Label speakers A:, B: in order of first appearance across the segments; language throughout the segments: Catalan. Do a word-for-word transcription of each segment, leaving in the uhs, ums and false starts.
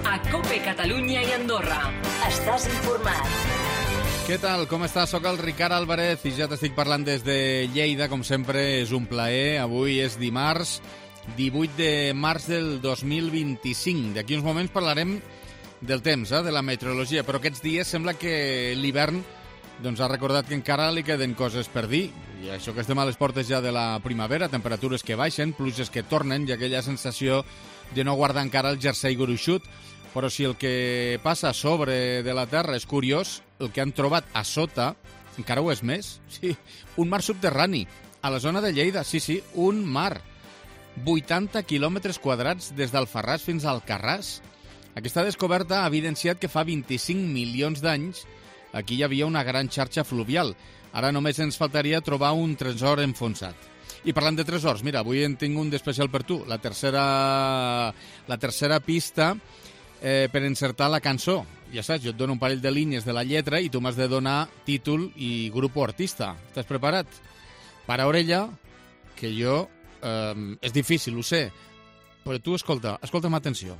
A: a COPE Catalunya i Andorra. Estàs informat.
B: Què tal? Com estàs? Soc el Ricard Álvarez i ja t'estic parlant des de Lleida. Com sempre, és un plaer. Avui és dimarts, divuit de març del dos mil vint-i-cinc. D'aquí uns moments parlarem del temps, eh, de la meteorologia, però aquests dies sembla que l'hivern doncs, ha recordat que encara li queden coses per dir. I això que estem a les portes ja de la primavera, temperatures que baixen, pluges que tornen i aquella sensació de no guardar encara el jersei gruixut. Però si el que passa a sobre de la Terra és curiós, el que han trobat a sota encara ho és més. Sí, un mar subterrani, a la zona de Lleida, sí, sí, un mar. vuitanta quilòmetres quadrats des d'Alfarràs fins al Alcarràs. Aquesta descoberta ha evidenciat que fa vint-i-cinc milions d'anys aquí hi havia una gran xarxa fluvial. Ara només ens faltaria trobar un tresor enfonsat. I parlant de tresors, mira, avui en tinc un d'especial per tu. La tercera, la tercera pista eh, per encertar la cançó. Ja saps, jo et dono un parell de línies de la lletra i tu m'has de donar títol i grup o artista. Estàs preparat? Para orella, que jo... Eh, és difícil, ho sé, però tu escolta, escolta'm atenció.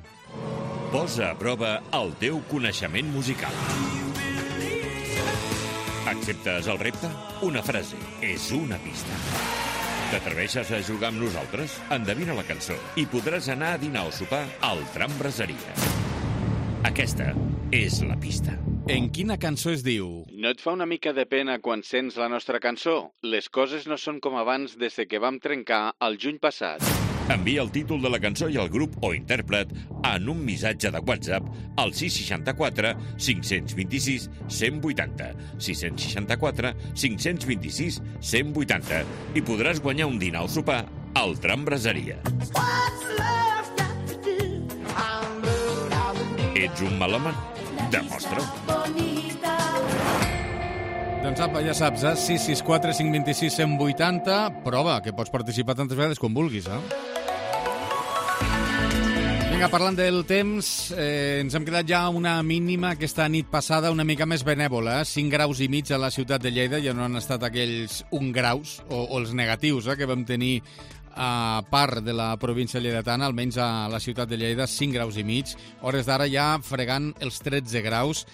C: Posa a prova el teu coneixement musical. Acceptes el repte? Una frase és una pista. T'atreveixes a jugar amb nosaltres? Endevina la cançó i podràs anar a dinar o sopar al Tram Braseria. Aquesta és la pista.
B: En quina cançó es diu? No et fa una mica de pena quan sents la nostra cançó? Les coses no són com abans des que vam trencar el juny passat.
C: Envia el títol de la cançó i el grup o intèrpret en un missatge de WhatsApp al sis seixanta-quatre cinc cents vint-i-sis cent vuitanta, sis seixanta-quatre cinc cents vint-i-sis cent vuitanta i podràs guanyar un dinar o sopar al Tram Braseria. Ets un melòman? Demostra-ho.
B: Doncs apa, ja saps, eh? sis sis quatre cinc dos sis cent vuitanta. Prova, que pots participar tantes vegades com vulguis, eh? Vinga, parlant del temps, eh, ens hem quedat ja una mínima aquesta nit passada una mica més benèvola, eh? cinc graus i mig a la ciutat de Lleida, ja no han estat aquells un graus, o, o els negatius, eh, que vam tenir a part de la província lleidatana, almenys a la ciutat de Lleida, cinc graus i mig, hores d'ara ja fregant els tretze graus.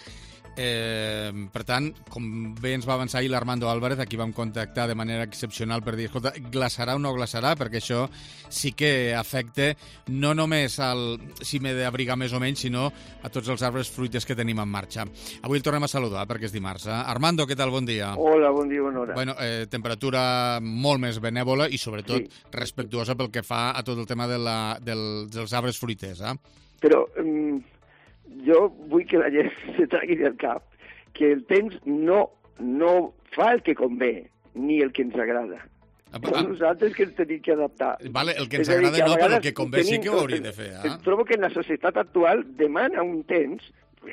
B: Eh, per tant, com bé ens va avançar ahir l'Armando Álvarez, aquí vam contactar de manera excepcional per dir, escolta, glaçarà o no glaçarà, perquè això sí que afecta no només al si m'he d'abrigar més o menys, sinó a tots els arbres fruiters que tenim en marxa. Avui el tornem a saludar perquè és dimarts. Eh? Armando, què tal? Bon dia.
D: Hola, bon dia, bona hora.
B: Bueno, eh, temperatura molt més benèvola i sobretot
D: sí.
B: respectuosa pel que fa a tot el tema de la, del, dels arbres fruiters. Eh?
D: Però... Um... jo vull que la gent se tragui del cap que el temps no, no fa el que convé, ni el que ens agrada. Ah, però, Som nosaltres que ens tenim que adaptar.
B: Vale, el que ens agrada no, però el que convé tenim, sí que ho hauria de fer. Eh?
D: Trobo que en la societat actual demana un temps,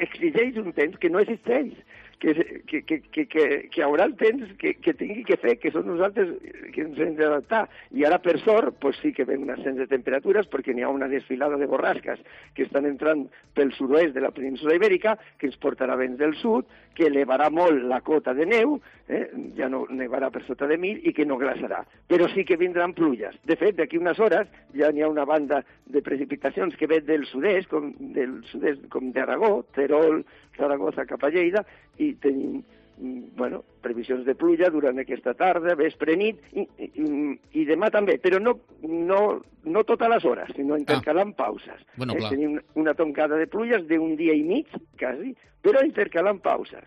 D: exigeix un temps que no existeix, que, que, que, que, que, que haurà el temps que, que tingui que fer, que són nosaltres que ens hem d'adaptar. I ara, per sort, pues sí que ven un ascens de temperatures perquè n'hi ha una desfilada de borrasques que estan entrant pel sud-oest de la península ibèrica, que ens portarà vents del sud, que elevarà molt la cota de neu, eh? ja no nevarà per sota de mil i que no glaçarà. Però sí que vindran pluges. De fet, d'aquí unes hores ja n'hi ha una banda de precipitacions que ve del sud-est, com, del sud-est, com d'Aragó, Terol, Zaragoza cap a Lleida, i tenim bueno, previsions de pluja durant aquesta tarda, vespre, nit, i, i, i demà també, però no, no, no totes les hores, sinó intercalant ah. pauses.
B: Bueno,
D: eh? Tenim una toncada de pluges d'un dia i mig, quasi, però intercalant pauses.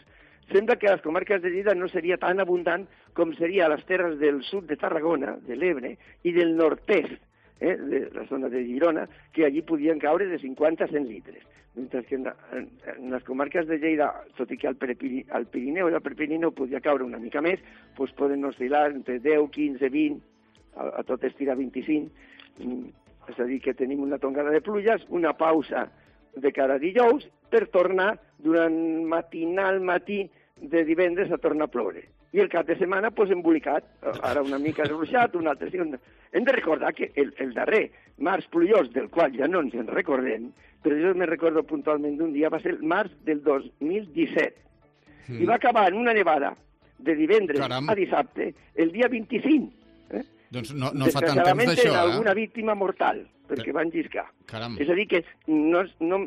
D: Sembla que a les comarques de Lleida no seria tan abundant com seria a les terres del sud de Tarragona, de l'Ebre, i del nord-est, eh, de la zona de Girona, que allí podien caure de cinquanta a cent litres. Mentre que en, en, en les comarques de Lleida, tot i que al, Prepiri, al Pirineu i al Prepirineu podia caure una mica més, doncs poden oscil·lar entre deu, quinze, vint, a, a tot estirar vint-i-cinc. Mm, és a dir, que tenim una tongada de pluges, una pausa de cara a dijous, per tornar durant matinal matí de divendres a tornar a ploure. I el cap de setmana, doncs, embolicat. Ara una mica ruixat, un altre... Hem de recordar que el, el darrer març plujós, del qual ja no ens en recordem, però jo me recordo puntualment d'un dia, va ser el març del dos mil disset. Mm. I va acabar en una nevada de divendres Caram. a dissabte, el dia vint-i-cinc. Eh?
B: Doncs no, no fa tant temps d'això,
D: en alguna
B: eh?
D: víctima mortal, perquè
B: Però...
D: van lliscar.
B: Caram.
D: És a dir, que no, no,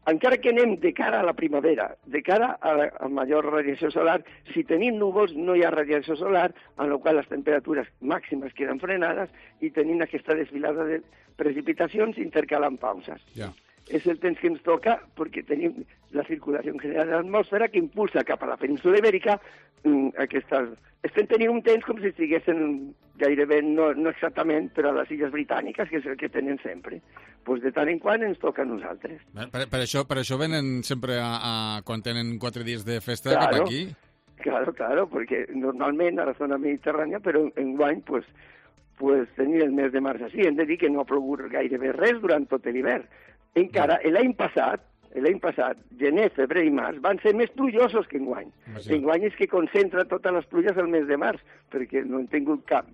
D: encara que anem de cara a la primavera, de cara a la a major radiació solar, si tenim núvols no hi ha radiació solar, en la qual les temperatures màximes queden frenades i tenim aquesta desfilada de precipitacions intercalant pauses.
B: Ja.
D: És el temps que ens toca perquè tenim la circulació general de l'atmosfera que impulsa cap a la península ibèrica mm, aquestes... Estem tenint un temps com si estiguessin gairebé, no, no exactament, però a les Illes Britàniques, que és el que tenen sempre. Pues de tant en quant ens toca a nosaltres.
B: Per, per, això, per això venen sempre a, a, quan tenen quatre dies de festa
D: Claro.
B: cap aquí?
D: Claro, claro, perquè normalment a la zona mediterrània, però enguany, pues, pues tenir el mes de març així. Hem de dir que no ha plogut gairebé res durant tot l'hivern. Encara, l'any passat, l'any passat, gener, febrer i març, van ser més plujosos que enguany.
B: Imagina't.
D: Enguany és que concentra totes les pluges al mes de març, perquè no han tingut cap,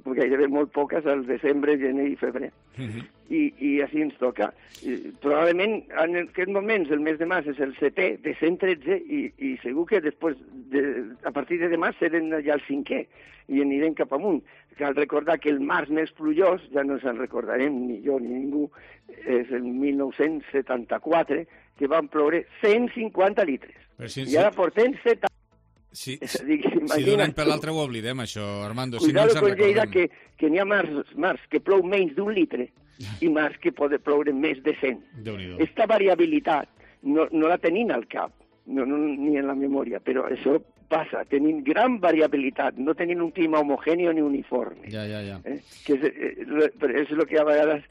D: gairebé molt poques al desembre, gener i febrer.
B: Mhm.
D: I, i així ens toca. I, probablement en aquests moments el mes de març és el setè de cent tretze i, i segur que després, de, a partir de demà, serem ja el cinquè i anirem cap amunt. Cal recordar que el març més plujós, ja no se'n recordarem ni jo ni ningú, és el mil nou-cents setanta-quatre, que van ploure cent cinquanta litres.
B: Però si-
D: I ara portem setanta.
B: Si,
D: És
B: si,
D: a dir,
B: si d'un
D: imagina't
B: any per
D: tu.
B: l'altre ho oblidem, això, Armando. Si no
D: Cuidado
B: ens en
D: con Lleida,
B: recordem.
D: que, que n'hi ha març, març que plou menys d'un litre i març que pot ploure més de cent.
B: Déu-n'hi-do.
D: Esta variabilitat no, no la tenim al cap, no, no, ni en la memòria, però això passa, tenim gran variabilitat, no tenim un clima homogèneo ni uniforme.
B: Ja, ja, ja.
D: Eh? Que és, eh, lo- però és el que a vegades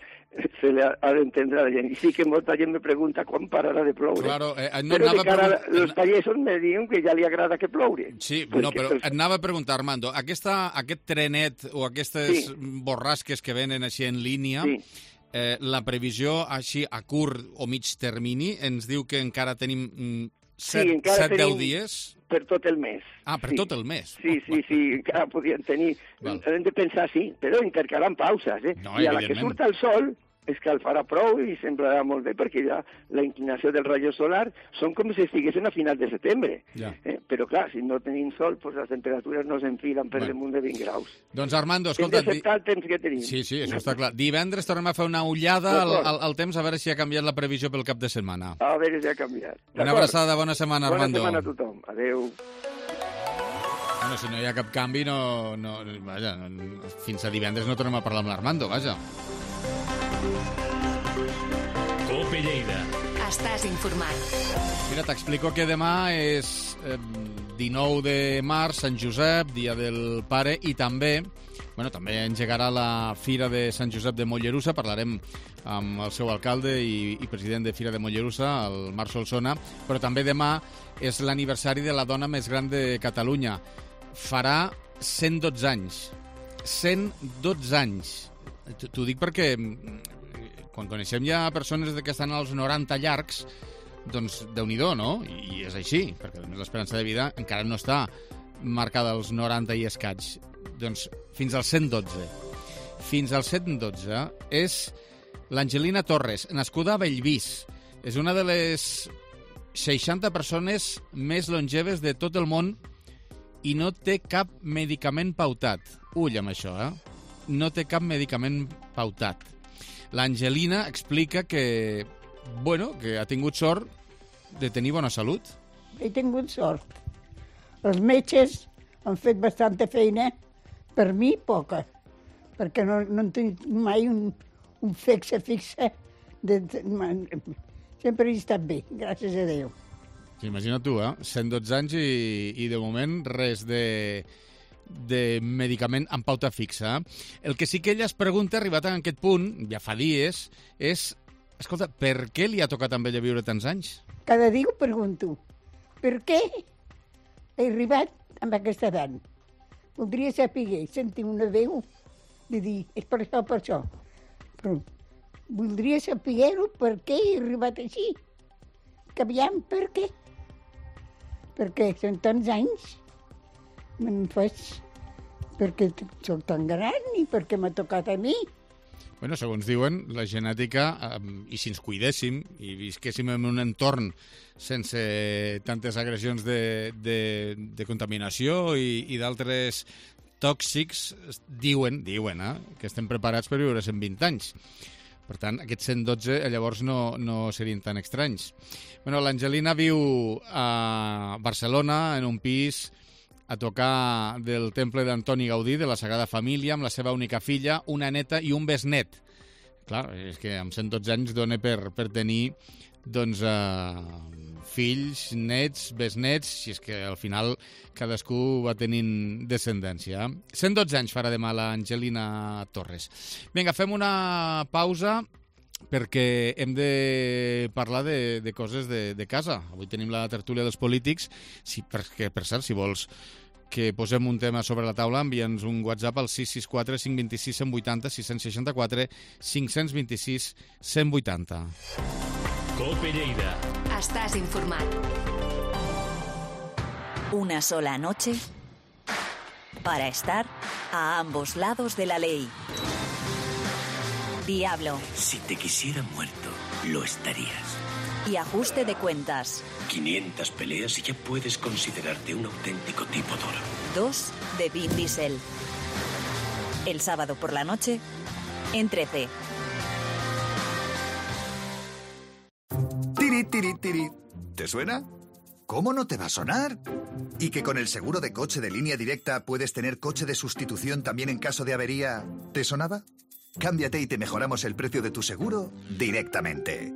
D: se li ha, ha d'entendre a la gent. I sí que molta gent me pregunta quan pararà de ploure.
B: Claro, eh, no,
D: però
B: anava
D: de cara
B: a
D: a
B: pregun-
D: los pagesos me diuen que ja li agrada que ploure.
B: Sí,
D: Perquè
B: no, però
D: els-
B: et anava a preguntar, Armando, aquesta, aquest trenet o aquestes
D: Sí.
B: borrasques que venen així en línia,
D: Sí.
B: eh, la previsió així a curt o mig termini ens diu que encara tenim mm, set,
D: encara
B: set, deu
D: tenim-
B: dies?
D: Per tot el mes.
B: Ah, per
D: sí.
B: tot el mes.
D: Sí, sí, sí, encara podien tenir...
B: Val.
D: Hem de pensar, sí, però intercalant pauses, eh?
B: No,
D: I a la que
B: evidentment.
D: surt el sol és que el farà prou i semblarà molt bé perquè ja la inclinació del rayo solar són com si estiguessin a final de setembre.
B: Ja.
D: Eh? Però clar, si no tenim sol, pues les temperatures no s'enfilen per
B: Bueno.
D: damunt de vint graus.
B: Doncs Armando,
D: Hem
B: escolta... di-
D: d'acceptar el temps que tenim.
B: Sí, sí, això està clar. Divendres tornem a fer una ullada al,
D: D'acord.
B: al, al temps a veure si ha canviat la previsió pel cap de setmana.
D: A veure si ha canviat.
B: Una
D: D'acord?
B: abraçada, bona setmana,
D: Bona
B: Armando.
D: setmana a tothom. Adéu.
B: Bueno, si no hi ha cap canvi, no, no, vaja, no, fins a divendres no tornem a parlar amb l'Armando, vaja.
A: Cope Lleida.
E: Estàs informat.
B: Mira, t'explico que demà és eh, dinou de març, Sant Josep, dia del pare, i també, bueno, també engegarà la Fira de Sant Josep de Mollerussa. Parlarem amb el seu alcalde i, i president de Fira de Mollerussa, el Marc Solsona, però també demà és l'aniversari de la dona més gran de Catalunya. Farà cent dotze anys. cent dotze anys. T'ho dic perquè mm, quan coneixem ja persones que estan als noranta llargs, doncs Déu-n'hi-do, no? I és així, perquè a més l'esperança de vida encara no està marcada als noranta i escaig. Doncs fins als cent dotze. Fins als cent dotze és l'Angelina Torres, nascuda a Bellvís. És una de les seixanta persones més longeves de tot el món i no té cap medicament pautat. Ull amb això, eh? No té cap medicament pautat. L'Angelina explica que, bueno, que ha tingut sort de tenir bona salut.
F: He tingut sort. Els metges han fet bastanta feina, per mi poca, perquè no, no en tinc mai un, un fixe fixe. De, de, sempre he estat bé, gràcies a Déu.
B: Sí, imagina tu, eh? cent dotze anys i, i de moment res de, de medicament amb pauta fixa. El que sí que ella es pregunta, arribat a aquest punt, ja fa dies, és, escolta, per què li ha tocat amb ella viure tants anys?
F: Cada dia ho pregunto. Per què he arribat amb aquesta edat? Voldria saber, sentir una veu de dir, és per això, per això. Però voldria saber-ho per què he arribat així. Que aviam, per què? Perquè són tants anys, me'n faig perquè soc tan gran i perquè m'ha tocat a mi.
B: Bueno, segons diuen, la genètica, eh, i si ens cuidéssim i visquéssim en un entorn sense tantes agressions de, de, de contaminació i, i d'altres tòxics, diuen, diuen eh, que estem preparats per viure cent vint anys. Per tant, aquests cent dotze llavors no, no serien tan estranys. Bueno, l'Angelina viu a Barcelona, en un pis a tocar del temple d'Antoni Gaudí, de la Sagrada Família, amb la seva única filla, una neta i un besnet. Clar, és que amb cent dotze anys dona per, per tenir doncs, eh, fills, nets, besnets, si és que al final cadascú va tenint descendència. cent dotze anys farà demà l'Angelina Torres. Vinga, fem una pausa perquè hem de parlar de, de coses de, de casa. Avui tenim la tertúlia dels polítics, sí, perquè, per cert, si vols que posem un tema sobre la taula, envia'ns un WhatsApp al sis sis quatre cinc dos sis cent vuitanta, sis sis quatre cinc dos sis cent vuitanta.
A: Cope Lleida.
E: Estàs informat.
G: Una sola noche para estar a ambos lados de la ley. Diablo.
H: Si te quisiera muerto, lo estarías.
G: Y ajuste de cuentas.
H: quinientas peleas y ya puedes considerarte un auténtico tipo duro.
G: Dos de Vin Diesel. El sábado por la noche, en trece.
I: Tiri, tiri, tiri. ¿Te suena? ¿Cómo no te va a sonar? ¿Y que con el seguro de coche de Línea Directa puedes tener coche de sustitución también en caso de avería? ¿Te sonaba? Cámbiate y te mejoramos el precio de tu seguro directamente.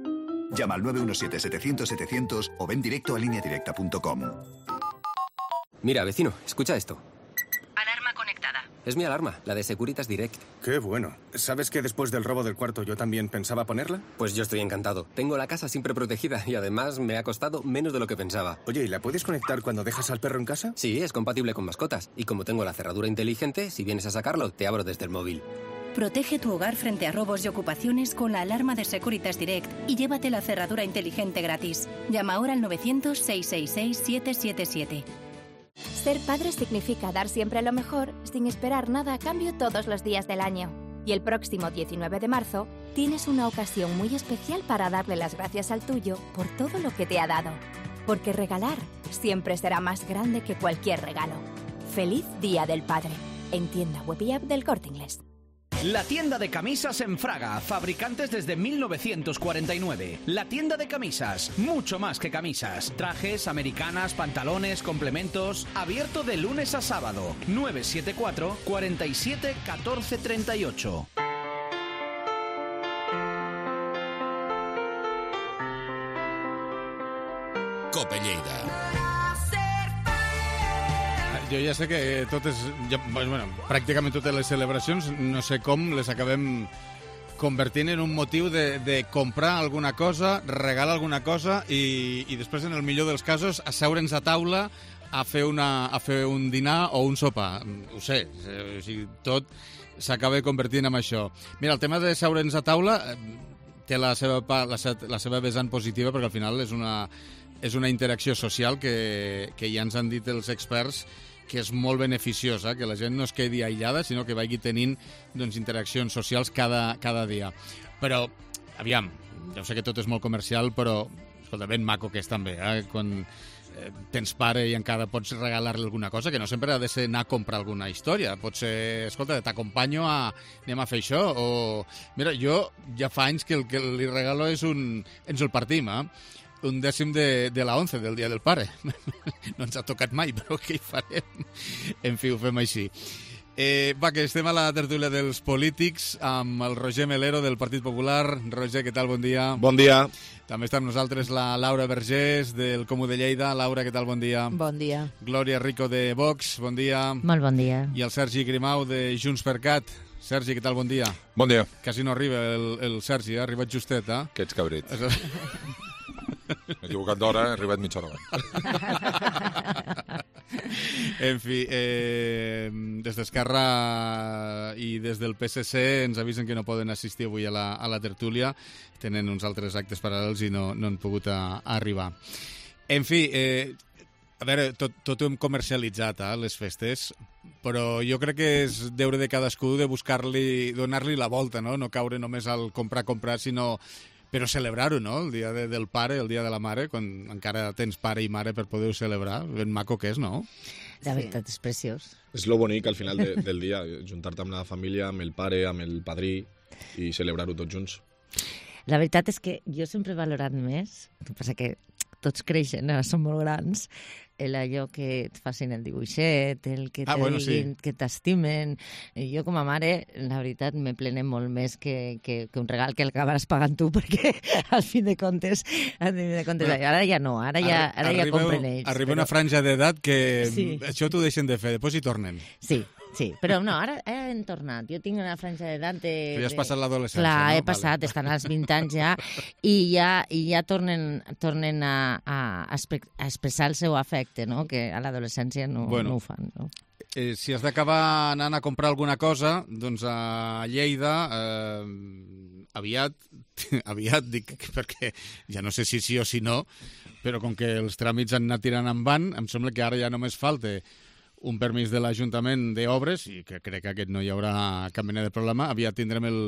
I: Llama al nueve uno siete, setecientos, setecientos o ven directo a línea directa punto com.
J: Mira, vecino, escucha esto.
E: Alarma conectada.
J: Es mi alarma, la de Securitas Direct.
K: Qué bueno. ¿Sabes que después del robo del cuarto yo también pensaba ponerla?
J: Pues yo estoy encantado. Tengo la casa siempre protegida y además me ha costado menos de lo que pensaba.
K: Oye, ¿y la puedes conectar cuando dejas al perro en casa?
J: Sí, es compatible con mascotas. Y como tengo la cerradura inteligente, si vienes a sacarlo, te abro desde el móvil.
L: Protege tu hogar frente a robos y ocupaciones con la alarma de Securitas Direct y llévate la cerradura inteligente gratis. Llama ahora al novecientos, seiscientos sesenta y seis, siete siete siete.
M: Ser padre significa dar siempre lo mejor sin esperar nada a cambio todos los días del año. Y el próximo diecinueve de marzo tienes una ocasión muy especial para darle las gracias al tuyo por todo lo que te ha dado. Porque regalar siempre será más grande que cualquier regalo. ¡Feliz Día del Padre! En tienda web y app del Corte Inglés.
N: La tienda de camisas en Fraga, fabricantes desde mil novecientos cuarenta y nueve. La tienda de camisas, mucho más que camisas. Trajes, americanas, pantalones, complementos. Abierto de lunes a sábado. nueve siete cuatro, cuarenta y siete, catorce treinta y ocho.
C: Cope Lleida.
B: Jo ja sé que totes, ja, bueno, pràcticament totes les celebracions, no sé com, les acabem convertint en un motiu de, de comprar alguna cosa, regalar alguna cosa i, i després, en el millor dels casos, asseure'ns a taula a fer, una, a fer un dinar o un sopar. Ho sé, o sigui, tot s'acaba convertint en això. Mira, el tema de seure'ns a taula té la seva, la, la seva vessant positiva perquè al final és una, és una interacció social que, que ja ens han dit els experts que és molt beneficiosa, que la gent no es quedi aïllada, sinó que vagi tenint doncs, interaccions socials cada, cada dia. Però, aviam, ja sé que tot és molt comercial, però, escolta, ben maco que és també, eh? Quan eh, tens pare i encara pots regalar-li alguna cosa, que no sempre ha de ser anar a comprar alguna història. Pot ser, escolta, t'acompanyo a... anem a fer això, o... Mira, jo ja fa anys que el que li regalo és un... ens el partim, eh? Un dècim de, de la once, del Dia del Pare. No ens ha tocat mai, però què hi farem? En fi, ho fem així. Eh, va, que estem a la tertúlia dels polítics amb el Roger Melero del Partit Popular. Roger, què tal? Bon dia.
O: Bon dia.
B: També està amb nosaltres la Laura Vergés del Comú de Lleida. Laura, què tal? Bon dia.
P: Bon dia.
B: Glòria Rico de Vox, bon dia.
P: Molt bon dia.
B: I el Sergi Grimau de Junts per Cat. Sergi, què tal? Bon dia.
O: Bon dia.
B: Quasi no arriba el, el Sergi, ha arribat justet, eh?
O: Que ets cabrit. M'he equivocat d'hora, he arribat mitja hora abans.
B: En fi, eh, des d'Esquerra i des del P S C ens avisen que no poden assistir avui a la, a la tertúlia. Tenen uns altres actes paral·lels i no, no han pogut a, a arribar. En fi, eh, a veure, tot, tot ho hem comercialitzat, eh, les festes, però jo crec que és deure de cadascú de buscar-li, donar-li la volta, no? No caure només al comprar-comprar, sinó... Però celebrar-ho, no? El dia de, del pare, el dia de la mare, quan encara tens pare i mare per poder-ho celebrar. Ben maco que és, no?
P: La veritat és preciós.
O: És lo bonic al final de, del dia, juntar-te amb la família, amb el pare, amb el padrí i celebrar-ho tots junts.
P: La veritat és que jo sempre he valorat més, el que passa que tots creixen, ara són molt grans, el allò que et facin el dibuixet, el que,
B: ah,
P: te
B: bueno,
P: diguin,
B: sí.
P: que t'estimen. Jo com a mare, la veritat, me plene molt més que, que, que un regal que acabaràs pagant tu, perquè al fin de comptes, al fin de comptes bueno, ara ja no, ara ja, ara ja compren ells.
B: Arriba
P: però...
B: una franja d'edat que
P: sí.
B: això t'ho deixen de fer, després hi tornen.
P: Sí. Sí, però no, ara hem tornat. Jo tinc una franja d'edat de...
B: Que ja has passat l'adolescència,
P: Clar,
B: no?
P: he passat, vale. Estan als vint anys ja, i ja, i ja tornen, tornen a, a, a expressar el seu afecte, no? Que a l'adolescència no,
B: bueno,
P: no ho fan. No?
B: Eh, si has d'acabar anant a comprar alguna cosa, doncs a Lleida... Eh, aviat, aviat dic, perquè ja no sé si sí o si no, però com que els tràmits han anat tirant en van, em sembla que ara ja només falta un permís de l'Ajuntament d'Obres, i que crec que aquest no hi haurà cap mena de problema, aviat tindrem el,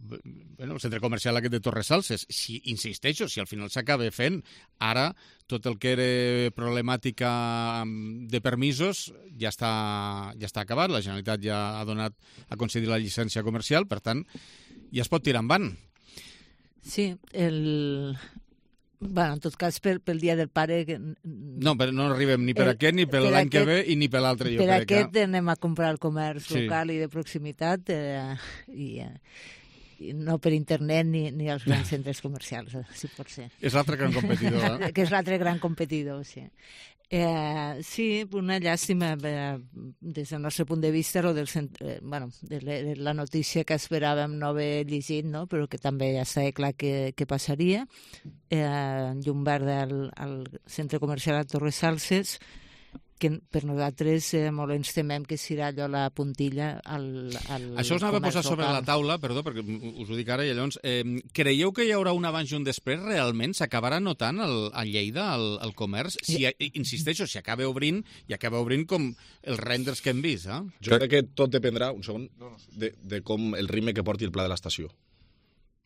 B: bueno, el centre comercial aquest de Torresalses. Si, insisteixo, si al final s'acaba fent, ara tot el que era problemàtica de permisos ja està, ja està acabat, la Generalitat ja ha donat a concedir la llicència comercial, per tant, ja es pot tirar endavant.
Q: Sí, el... Bueno, en tot cas, per, pel Dia del Pare... Que...
B: No, però no arribem ni per el, aquest, ni per, per l'any que ve i ni per l'altre, jo
Q: per
B: crec.
Q: Per aquest que... anem a comprar al comerç
B: sí.
Q: local i de proximitat eh, i, eh, i no per internet ni, ni als grans centres comercials, si pot ser.
B: És l'altre gran competidor, eh?
Q: Que és l'altre gran competidor, sí. Eh, sí, una llàstima eh, des del nostre punt de vista o del, eh, bueno, de, la, de la notícia que esperàvem no haver llegit, no? Però que també ja estava clar que, que passaria. Eh, llum verda al, al centre comercial a Torresalses, que per nosaltres eh, molt ens temem que serà allò la puntilla al, al
B: Això us anava a posar
Q: local.
B: sobre la taula, perdó, perquè us ho dic ara, i llavors, eh, creieu que hi haurà un abans i un després realment? S'acabarà notant el, a Lleida el, el comerç? Si, insisteixo, si acaba obrint, i acaba obrint com els renders que hem vist, eh?
R: Jo crec que tot dependrà, un segon, de, de com el ritme que porti el pla de l'estació.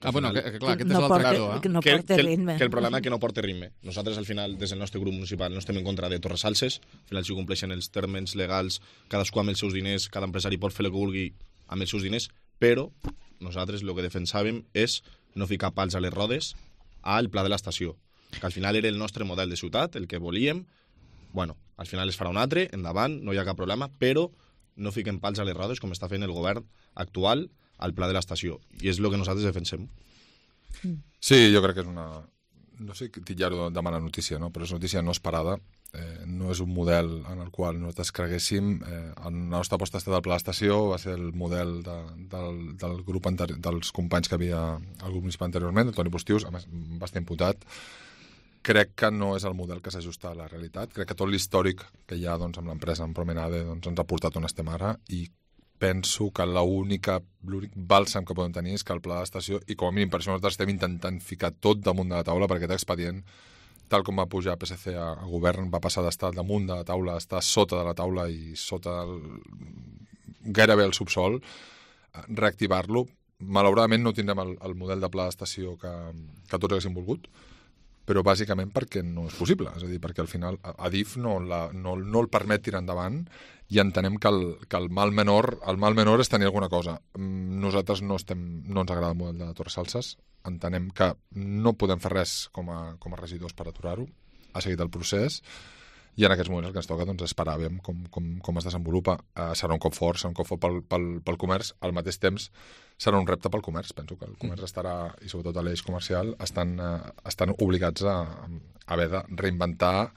B: Ah, bueno, que, que clar, aquest
Q: no
B: és l'altre cantó, eh?
Q: Que no
R: que,
Q: porta
R: que,
Q: ritme.
R: Que el problema és que no porta ritme. Nosaltres, al final, des del nostre grup municipal, no estem en contra de Torresalses. Al final, si compleixen els termes legals, cadascú amb els seus diners, cada empresari pot fer el que vulgui amb els seus diners, però nosaltres el que defensàvem és no ficar pals a les rodes al pla de l'estació, que al final era el nostre model de ciutat, el que volíem. Bueno, al final es farà un altre, endavant, no hi ha cap problema, però no fiquem pals a les rodes com està fent el govern actual al pla de l'estació, i és el que nosaltres defensem.
O: Sí, jo crec que és una... No sé titllar-ho de mala notícia, no? Però és notícia no esperada. Eh, no és un model en el qual nosaltres creguéssim. Eh, la nostra aposta ha estat al pla d'estació, va ser el model de, del, del grup anteri... dels companys que havia al grup municipal anteriorment, el Toni Postius, a més, va estar imputat. Crec que no és el model que s'ajusta a la realitat. Crec que tot l'històric que hi ha doncs, amb l'empresa, amb Promenade, doncs, ens ha portat on estem ara, i penso que l'únic bàlsam que podem tenir és que el pla d'estació, i com a mínim per això nosaltres estem intentant ficar tot damunt de la taula, perquè aquest expedient, tal com va pujar P S C a, a govern, va passar d'estar damunt de la taula a estar sota de la taula i sota el, gairebé el subsol, reactivar-lo. Malauradament no tindrem el, el model de pla d'estació que, que tots haguéssim volgut, però bàsicament perquè no és possible, és a dir, perquè al final Adif no, la, no, no el permet tirar endavant, i entenem que el, que el mal menor el mal menor és tenir alguna cosa. Nosaltres no, estem, no ens agrada el model de Torresalses, entenem que no podem fer res com a, com a regidors per aturar-ho, ha seguit el procés, i en aquests moments el que ens toca doncs, esperar veure com, com, com es desenvolupa. Uh, serà un cop fort, serà un cop fort pel, pel, pel comerç, al mateix temps serà un repte pel comerç. Penso que el comerç estarà, i sobretot a l'eix comercial, estan, uh, estan obligats a, a haver de reinventar,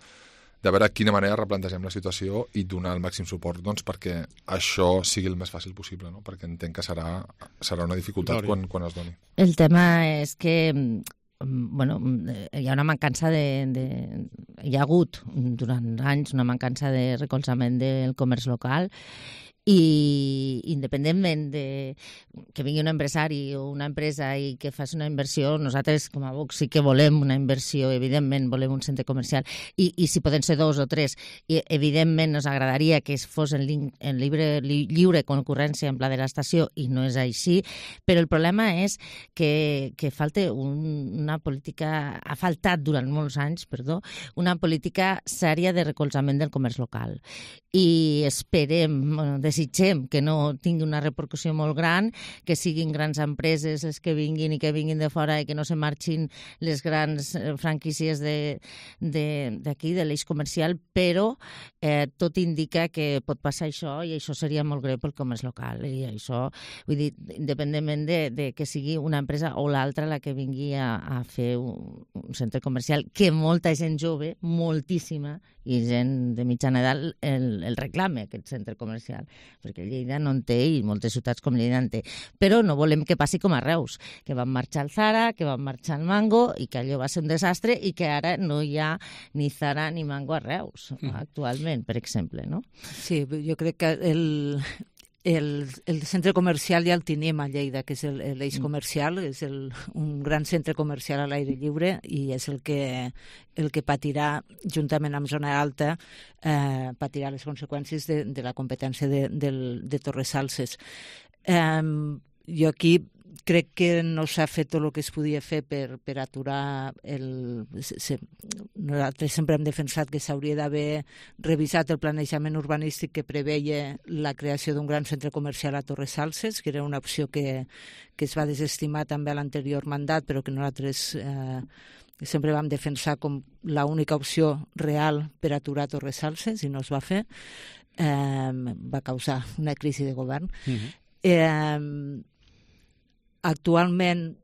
O: de veure quina manera replantegem la situació i donar el màxim suport doncs, perquè això sigui el més fàcil possible, no? Perquè entenc que serà, serà una dificultat quan, quan es doni.
P: El tema és que bueno, hi ha una mancança de, de... Hi ha hagut durant anys una mancança de recolzament del comerç local, i independentment de que vingui un empresari o una empresa i que faci una inversió, nosaltres com a Vox sí que volem una inversió, evidentment volem un centre comercial, i, i si poden ser dos o tres, i evidentment ens agradaria que fos en, lin, en lliure, li, lliure concurrència en pla de l'estació, i no és així, però el problema és que, que falta un, una política, ha faltat durant molts anys, perdó, una política sèria de recolzament del comerç local, i esperem, bueno, desitgem que no tingui una repercussió molt gran, que siguin grans empreses les que vinguin i que vinguin de fora i que no se marxin les grans franquícies d'aquí, de l'eix comercial, però eh, tot indica que pot passar això i això seria molt greu pel comerç local. I això, vull dir, independentment de, de que sigui una empresa o l'altra la que vingui a, a fer un, un centre comercial, que molta gent jove, moltíssima, i gent de mitjana edat el, el reclame, aquest centre comercial, perquè Lleida no en té i moltes ciutats com Lleida en té. Però no volem que passi com a Reus, que van marxar al Zara, que van marxar al Mango i que allò va ser un desastre i que ara no hi ha ni Zara ni Mango a Reus, mm. actualment, per exemple, no?
Q: Sí, jo crec que el... El, el centre comercial ja el tenim a Lleida, que és l'eix comercial, és el, un gran centre comercial a l'aire lliure i és el que, el que patirà, juntament amb Zona Alta, eh, patirà les conseqüències de, de la competència de, de, de Torres Salses. Eh, jo aquí crec que no s'ha fet tot el que es podia fer per, per aturar el... Se, nosaltres sempre hem defensat que s'hauria d'haver revisat el planejament urbanístic que preveia la creació d'un gran centre comercial a Torres Salses, que era una opció que, que es va desestimar també a l'anterior mandat, però que nosaltres eh, sempre vam defensar com l'única opció real per aturar Torres Salses i no es va fer. Eh, va causar una crisi de govern. Mm-hmm. Eh, Actualment,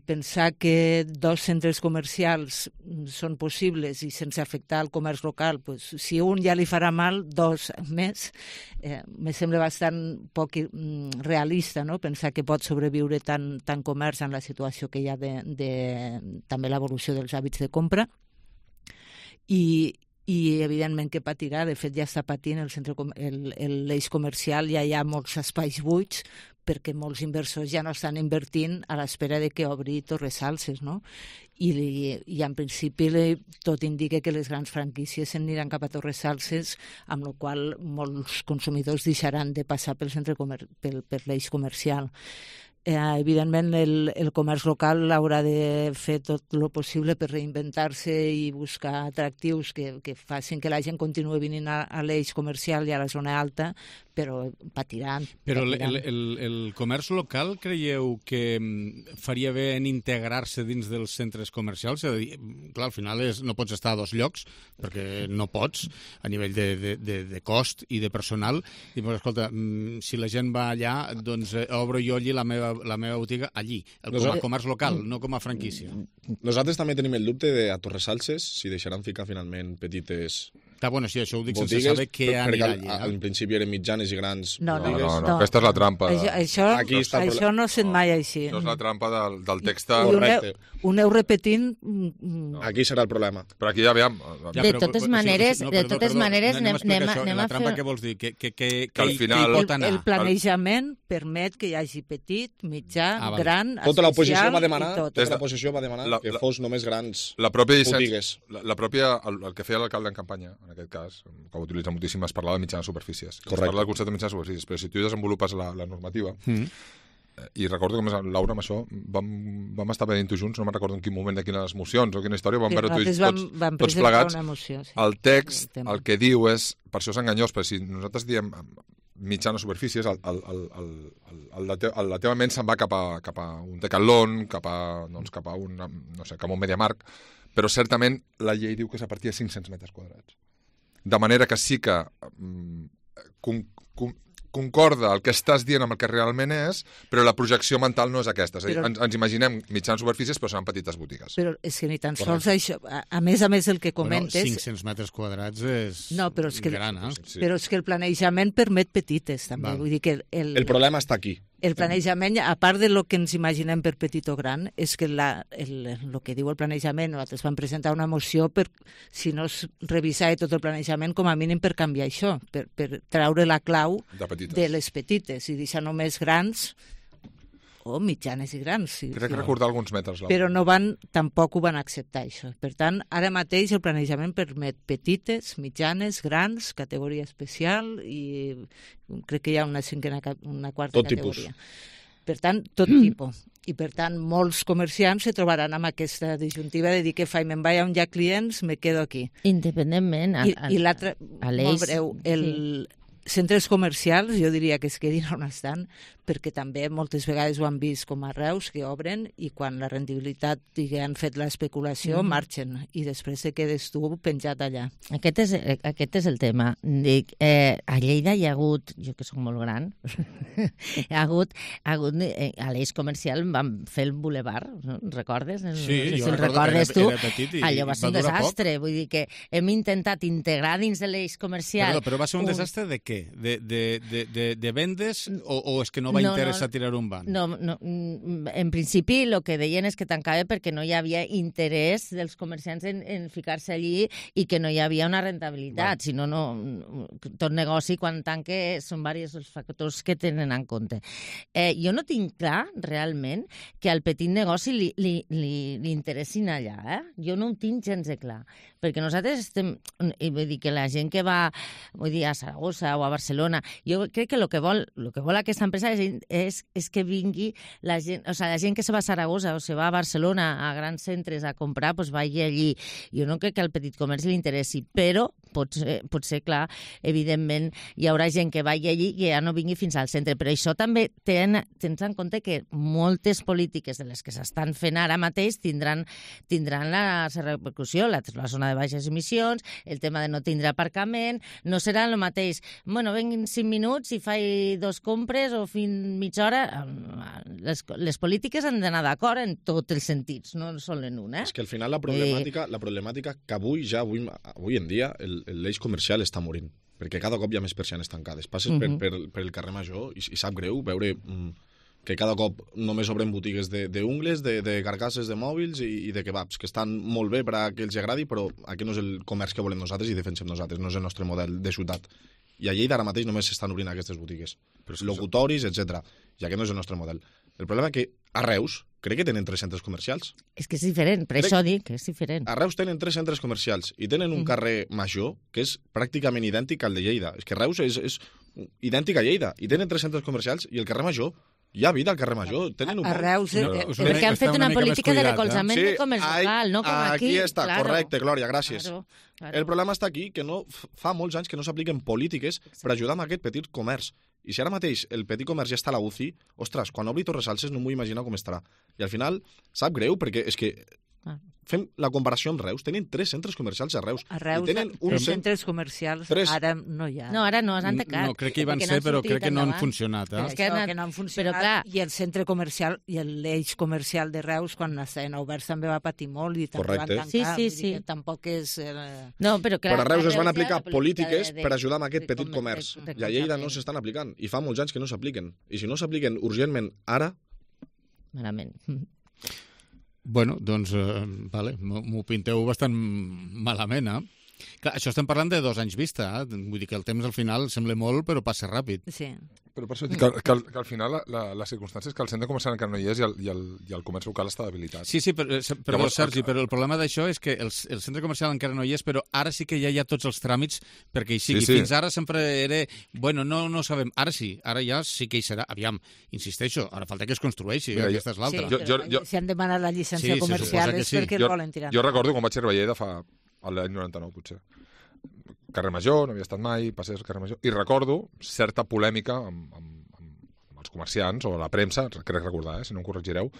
Q: pensar que dos centres comercials són possibles i sense afectar el comerç local, pues, si un ja li farà mal, dos més, eh, me sembla bastant poc mm, realista, no? Pensar que pot sobreviure tant, tant comerç en la situació que hi ha de, de també l'evolució dels hàbits de compra. I, i evidentment que patirà, de fet ja està patint el centre, el, el, l'eix comercial, ja hi ha molts espais buits perquè molts inversors ja no estan invertint a l'espera de que obri Torres Salses, no? I, i en principi tot indica que les grans franquícies s'aniran cap a Torres Salses, amb la qual molts consumidors deixaran de passar pel centre comer pel, per l'eix comercial. Eh, evidentment el, el comerç local haurà de fer tot el possible per reinventar-se i buscar atractius que, que facin que la gent continuï venint a, a l'eix comercial i a la zona alta, però patiran.
B: Però
Q: patiran.
B: El, el, el comerç local creieu que faria bé en integrar-se dins dels centres comercials? És a dir, clar, al final és, no pots estar a dos llocs, perquè no pots, a nivell de, de, de, de cost i de personal. I, però, escolta, si la gent va allà, doncs eh, obro jo allí la meva, la meva botiga allí, el, com a comerç local, no com a franquícia.
R: Nosaltres també tenim el dubte de a Torres Salses si deixaran ficar finalment petites...
B: Està bueno, sí, això ho dic
R: botigues,
B: sense saber què anirà allí.
R: Al, al principi eren mitjanes i grans
Q: no, no,
R: botigues.
O: No, no, no, aquesta és la trampa.
Q: Això, això,
R: Aquí està
Q: això no sent mai així.
O: No és la trampa del, del text.
Q: Ho aneu, ho aneu repetint... No.
R: Aquí serà el problema.
O: Però aquí ja veiem...
P: Ja, de totes maneres, de totes maneres anem, anem, anem
B: a fer... La trampa què vols dir? Que, que, que,
O: que al final...
B: pot anar?
Q: El planejament permet que hi hagi petit, mitjà, ah, vale. gran,
R: tota l'oposició va demanar,
Q: tot.
R: Tota l'oposició va demanar la, que fos només grans
O: la pròpia
R: botigues.
O: La, la pròpia, el, el que feia l'alcalde en campanya, en aquest cas, que ho utilitza moltíssim, es parlava de mitjanes superfícies. Es parla del concepte de mitjanes superfícies, però si tu desenvolupes la, la normativa, mm. eh, i recordo que, més, Laura, amb això vam, vam estar veient-ho junts, no me'n recordo en quin moment de quines mocions o quina història, vam veure tots,
Q: vam, vam
O: tots plegats.
Q: Emoció, sí.
O: El text, el, el que diu és, per això és enganyós, però si nosaltres diem mitjanes superfícies, el, el, el, el, el, el, la, te, el, la teva ment se'n va cap a, cap a un Decathlon, cap a, doncs, cap a un, no sé, cap a un MediaMarkt, però certament la llei diu que és a partir de cinc-cents metres quadrats. De manera que sí que um, con, con, concorda el que estàs dient amb el que realment és, però la projecció mental no és aquesta. És a dir,
Q: però,
O: ens, ens imaginem mitjans superfícies, però seran petites botigues.
Q: Però és que ni tan sols això... A, a més a més el que comentes...
B: Bueno, cinc-cents metres quadrats és
Q: no, però és que,
B: gran, eh?
Q: Sí. Però és que el planejament permet petites, també. Val. Vull dir que el,
R: el problema està aquí.
Q: El planejament, a part de lo que ens imaginem per petit o gran, és que la, el, el que diu el planejament, nosaltres vam presentar una moció per, si no es revisava tot el planejament, com a mínim per canviar això, per, per treure la clau
O: de,
Q: de les petites i deixar només grans o mitjanes i grans. Sí,
O: Crec
Q: sí.
O: recordar alguns metres. Laura.
Q: Però no van, tampoc ho van acceptar, això. Per tant, ara mateix el planejament permet petites, mitjanes, grans, categoria especial i crec que hi ha una cinquena, una quarta
R: tot
Q: categoria.
R: Tipus.
Q: Per tant, tot mm. tipus. I, per tant, molts comerciants se trobaran amb aquesta disjuntiva de dir que faig, me'n vaig on hi ha clients, me quedo aquí.
P: Independentment.
Q: I, i l'altre, molt breu, el,
P: sí.
Q: centres comercials, jo diria que es quedin on estan, perquè també moltes vegades ho han vist com a Reus, que obren i quan la rendibilitat i que han fet l'especulació, mm. marxen i després te quedes tu penjat allà.
P: Aquest és, aquest és el tema. Dic, eh, a Lleida hi ha hagut, jo que soc molt gran, hi ha hagut, ha hagut eh, a l'eix comercial vam fer el boulevard, no? Recordes?
B: Sí,
P: no sé si
B: jo
P: el
B: recordo
P: recordes
B: que
P: tu.
B: era, era petit i
P: allò va ser un
B: va durar
P: desastre,
B: poc.
P: vull dir que hem intentat integrar dins de l'eix comercial...
B: Perdó, però va ser un, un... desastre de què? De, de, de, de, de vendes o, o és que no va
P: no,
B: interessar
P: no,
B: tirar un banc?
P: No, no, en principi el que deien és que tancava perquè no hi havia interès dels comerciants en, en ficar-se allí i que no hi havia una rentabilitat, si no, no, tot negoci quan tanque són diversos els factors que tenen en compte. Eh, jo no tinc clar realment que al petit negoci li, li, li, li interessin allà, eh? Jo no ho tinc gens de clar, perquè nosaltres estem, i vull dir que la gent que va, vull dir, a Saragossa o a Barcelona, jo crec que el que vol, lo que vol aquesta empresa és, és, és que vingui la gent, o sigui, la gent que se va a Saragossa o se va a Barcelona a grans centres a comprar, doncs vagi allí. Jo no crec que al petit comerç li interessi, però potser, potser, clar, evidentment hi haurà gent que vagi allí i que ja no vingui fins al centre, però això també ten, tens en compte que moltes polítiques de les que s'estan fent ara mateix tindran, tindran la repercussió, la, la zona de baixes emissions, el tema de no tindre aparcament, no serà el mateix. Bueno, venguin cinc minuts i faig dos compres o fins mitja hora. Les, les polítiques han d'anar d'acord en tots els sentits, no sol en un, eh?
R: És que al final la problemàtica, eh... la problemàtica que avui, ja avui, avui en dia, el, l'eix comercial està morint, perquè cada cop hi ha més persianes tancades. Passes uh-huh. per, per, per el carrer Major i, i sap greu veure mm, que cada cop només obren botigues d'ungles, de, de, de carcasses de mòbils i, i de kebabs, que estan molt bé per a que els agradi, però aquest no és el comerç que volem nosaltres i defensem nosaltres, no és el nostre model de ciutat. I a Lleida ara mateix només s'estan obrint aquestes botigues, locutoris, etcètera. I aquest no és el nostre model. El problema és que a Reus crec que tenen tres centres comercials.
P: És que és diferent, per crec... això dic que és diferent.
R: A Reus tenen tres centres comercials i tenen un mm. carrer Major que és pràcticament idèntic al de Lleida. És que Reus és, és idèntic a Lleida i tenen tres centres comercials i el carrer Major hi ha vida al carrer Major. Tenen un
Q: a Reus...
P: No, eh, perquè han fet una, una política de recolzament eh? de comerç local, no com aquí.
R: Aquí està,
P: claro.
R: Correcte, Glòria, gràcies.
P: Claro, claro.
R: El problema està aquí, que no fa molts anys que no s'apliquen polítiques per ajudar amb aquest petit comerç. I si ara mateix el petit comerç ja està a la U C I, ostres, quan obri Torres Salses no m'ho imagino com estarà. I al final, sap greu, perquè és que ah. fem la comparació amb Reus. Tenen tres centres comercials a Reus.
Q: A Reus,
R: i tenen un
Q: tres centres comercials, tres... ara no hi ha.
P: No, ara no, s'han tancat.
B: No, crec que hi van ser, però crec que no han funcionat. Eh?
Q: És que, no, que no han funcionat, però, clar... i el centre comercial i l'eix comercial de Reus, quan estaven oberts, també va patir molt i també van tancar.
P: Sí, sí, sí.
Q: Tampoc és... Eh...
P: No, però, clar,
R: però a Reus es van aplicar polítiques de, per ajudar amb aquest petit comerç. De, de, de, I a Lleida no s'estan aplicant. I fa molts anys que no s'apliquen. I si no s'apliquen urgentment ara...
P: Malament.
B: Bueno, doncs, eh, vale, m'ho pinteu bastant malament, eh? Clar, això estem parlant de dos anys vista, eh? Vull dir que el temps al final sembla molt, però passa ràpid.
Q: Sí.
O: Però per això dic que, que, que al final la, la, la circumstància és que el centre comercial encara no hi és i el, i el, i el comerç local està debilitat.
B: Sí, sí, però, però Llavors, Sergi, el... però el problema d'això és que el, el centre comercial encara no hi és, però ara sí que ja hi ha tots els tràmits perquè hi sigui. Sí, sí. Fins ara sempre era, bueno, no, no sabem. Ara sí, ara ja sí que hi serà. Aviam, insisteixo, ara falta que es construeixi, Mira, aquesta és l'altra.
Q: Sí, jo, jo, jo... si han demanat la llicència sí, comercial és sí. perquè
O: jo,
Q: el volen tirar.
O: Jo recordo quan vaig arribar a Lleida fa l'any noranta-nou, potser. Carrer Major, no havia estat mai, passés al carrer Major, i recordo certa polèmica amb, amb, amb els comerciants o la premsa, crec recordar, eh, si no em corregireu,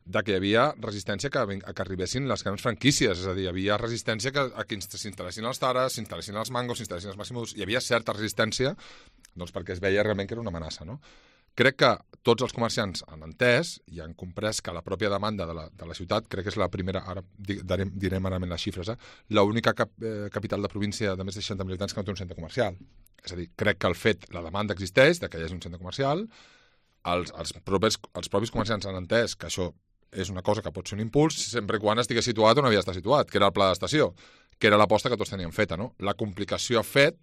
O: de que hi havia resistència que, a que arribessin les grans franquícies, és a dir, hi havia resistència que, a que s'instal·lessin els Taras, s'instal·lessin els Mangos, s'instal·lessin els Maximus, hi havia certa resistència doncs perquè es veia realment que era una amenaça, no? Crec que tots els comerciants han entès i han comprès que la pròpia demanda de la, de la ciutat, crec que és la primera, ara direm, direm ara les xifres, eh? l'única cap, eh, capital de província de més de seixanta mil habitants que no té un centre comercial. És a dir, crec que el fet, la demanda existeix, de que hi hagi un centre comercial, els, els, propers, els propis comerciants han entès que això és una cosa que pot ser un impuls sempre quan estigui situat on havia d'estar situat, que era el pla d'estació, que era l'aposta que tots teníem feta, no? La complicació ha fet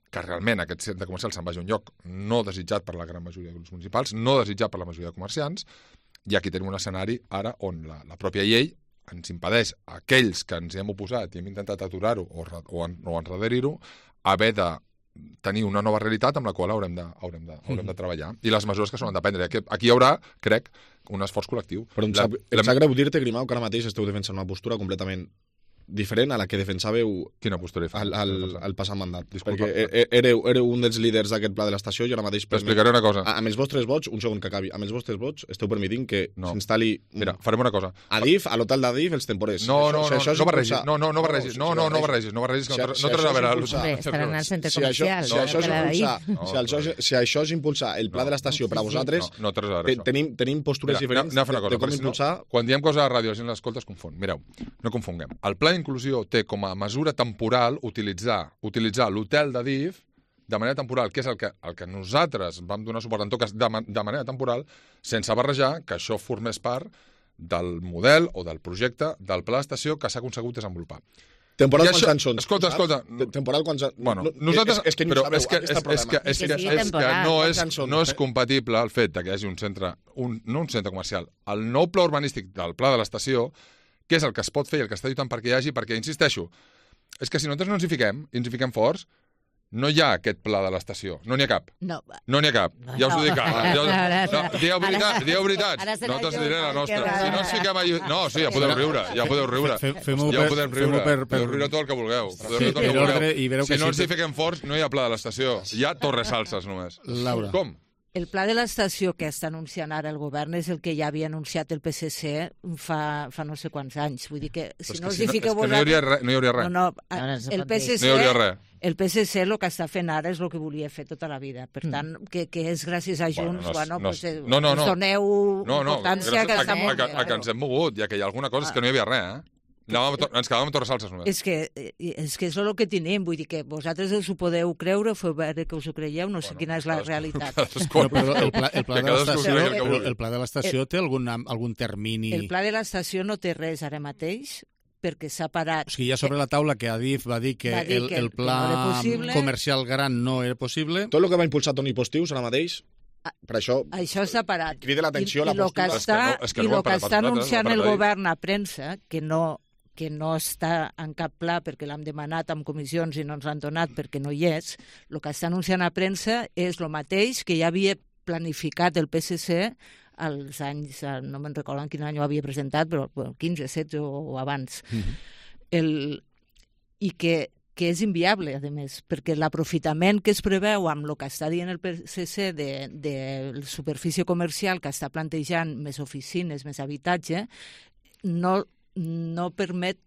O: que realment aquest centre comercial se'n vagi a un lloc no desitjat per la gran majoria de grups municipals, no desitjat per la majoria de comerciants, i aquí tenim un escenari ara on la, la pròpia llei ens impedeix a aquells que ens hi hem oposat i hem intentat aturar-ho o, o, en, o enrederir-ho, haver de tenir una nova realitat amb la qual haurem de, haurem de, haurem de treballar. I les mesures que s'han de prendre. Aquí hi haurà, crec, un esforç col·lectiu.
R: Però em sap, la, em sap greu dir-te, Grimau, que ara mateix esteu defensant una postura completament diferent a la que defensàveu
O: Quina postura
R: al, al, al passat mandat.
O: Disculpa.
R: Perquè éreu, éreu un dels líders d'aquest pla de l'estació i ara mateix...
O: T'explicaré una cosa.
R: Amb els vostres vots, un segon que acabi, amb els vostres vots esteu permitint que no. s'instal·li...
O: Mira, farem una cosa.
R: A D I F, a l'hotel d'A D I F, els temporers.
O: No, no,
R: si
O: no,
R: això
O: no barregis, no, no, no barregis, no, no, no barregis, no barregis, no tens a veure...
P: Estaran al centre
R: Si això,
P: comercial.
R: si, això és impulsar, si, això, si això és impulsar el pla de l'estació per a vosaltres,
O: no, no té res a veure,
R: te, tenim, tenim postures
O: Mira,
R: diferents
O: anem a fer una
R: de,
O: cosa,
R: de com
O: perquè si no,
R: impulsar...
O: quan diem coses a la ràdio, la gent l'escolta, es confon. Mireu, no confonguem. El pla d'inclusió té com a mesura temporal utilitzar utilitzar l'hotel de D I F de manera temporal, que és el que, el que nosaltres vam donar suport, en tot cas, de, de manera temporal, sense barrejar que això formés part del model o del projecte del pla d'estació que s'ha aconsegut desenvolupar.
R: Temporal
O: I
R: quants
O: això,
R: anys són?
O: Escolta, escolta.
R: Temporal quants anys...
O: Bueno,
R: no,
O: nosaltres...
R: És, és que ni
O: però
R: sabeu,
O: és que,
R: aquest
O: és,
R: és
O: és que, és que,
P: sí,
O: és que no, és,
R: són?
O: no és compatible el fet que hi hagi un centre, un, no un centre comercial, el nou pla urbanístic del pla de l'estació, que és el que es pot fer i el que està lluitant perquè hi hagi, perquè, insisteixo, és que si nosaltres no ens hi fiquem, i ens hi fiquem forts, no hi ha aquest pla de l'estació. No n'hi ha cap.
Q: No.
O: No n'hi ha cap. Ja us ho dic.
P: No.
O: Ja us...
P: Ara-
O: no, dieu,
P: ara-
O: veritat, dieu veritats.
P: ara serà
O: Nosaltres
P: jo,
O: diré la
P: que
O: nostra.
P: raro.
O: Si no ens fiquem allà... No, sí, ja podeu riure. Ja podeu riure.
B: Fem- fem-ho
O: ja
B: per-
O: podem
B: fem-ho
O: riure.
B: per- per-
O: Podeu riure tot el que vulgueu. Podeu
B: Sí,
O: riure tot el
B: per
O: que
B: ordre,
O: vulgueu.
B: i veureu
O: Si
B: que
O: no
B: sí
O: ens hi
B: que-
O: fiquem forts, no hi ha pla de l'estació. Hi ha torres salses, només.
B: Laura.
O: Com?
Q: El pla de l'estació que està anunciant ara el govern és el que ja havia anunciat el P S C fa, fa no sé quants anys. Vull dir que si
O: és
Q: no
O: que
Q: us
O: si
Q: hi
O: no-
Q: fiqueu
O: és que no hi hauria
Q: vosaltres...
O: res, no hi hauria res.
Q: No, no,
P: Ara no se
Q: el
P: pot dir.
Q: PSC,
O: No hi hauria res.
Q: el P S C el que està fent ara és el que volia fer tota la vida. Per tant, que, que és gràcies a Junts, bueno,
O: no,
Q: pues, eh,
O: no, no, no.
Q: us doneu
O: No, no,
Q: importància
O: gràcies
Q: que
O: a,
Q: està
O: a,
Q: molt
O: a,
Q: bé.
O: a, que ens hem mogut, ja que hi ha alguna cosa és que no hi havia res, eh? Anàvem, a to- ens quedàvem a torres salses, només.
Q: És que, eh, és que és el que tenim, vull dir que vosaltres us ho podeu creure, feu veure que us ho creieu, no sé
O: Bueno,
Q: quina és la
O: cadascú-
Q: realitat.
O: cadascú-
B: No, però el pla, el pla
O: Que
B: de
O: cadascú
B: l'estació
O: cregui el que
B: el,
O: vulgui.
B: el pla de l'estació té algun, algun termini...
Q: El pla de l'estació no té res ara mateix, perquè s'ha parat...
B: O sigui, hi ha sobre la taula que Adif va dir que,
Q: Va dir
B: el,
Q: que
B: el
Q: que no era
B: pla
Q: possible.
B: comercial gran no era possible.
R: Tot el que va impulsar Toni Postius ara mateix, per això...
Q: Això s'ha parat.
R: Crida l'atenció
Q: I,
R: la
Q: i lo que
R: postura.
Q: està,
O: És que no- és que
Q: i
O: no ho
Q: lo
O: han
Q: que
O: parat
Q: està
O: per nosaltres,
Q: anunciant
O: ho han
Q: el
O: parat ahir.
Q: govern a premsa, que no, que no està en cap pla perquè l'hem demanat amb comissions i no ens l'han donat perquè no hi és, el que està anunciant a premsa és el mateix que ja havia planificat el P S C als anys, eh, no me'n recordo en quin any ho havia presentat, però bueno, quinze, setze o, o abans.
B: Mhm.
Q: el, I que que és inviable, a més, perquè l'aprofitament que es preveu amb el que està dient el P S C de, de la superfície comercial que està plantejant més oficines, més habitatge, no, no permet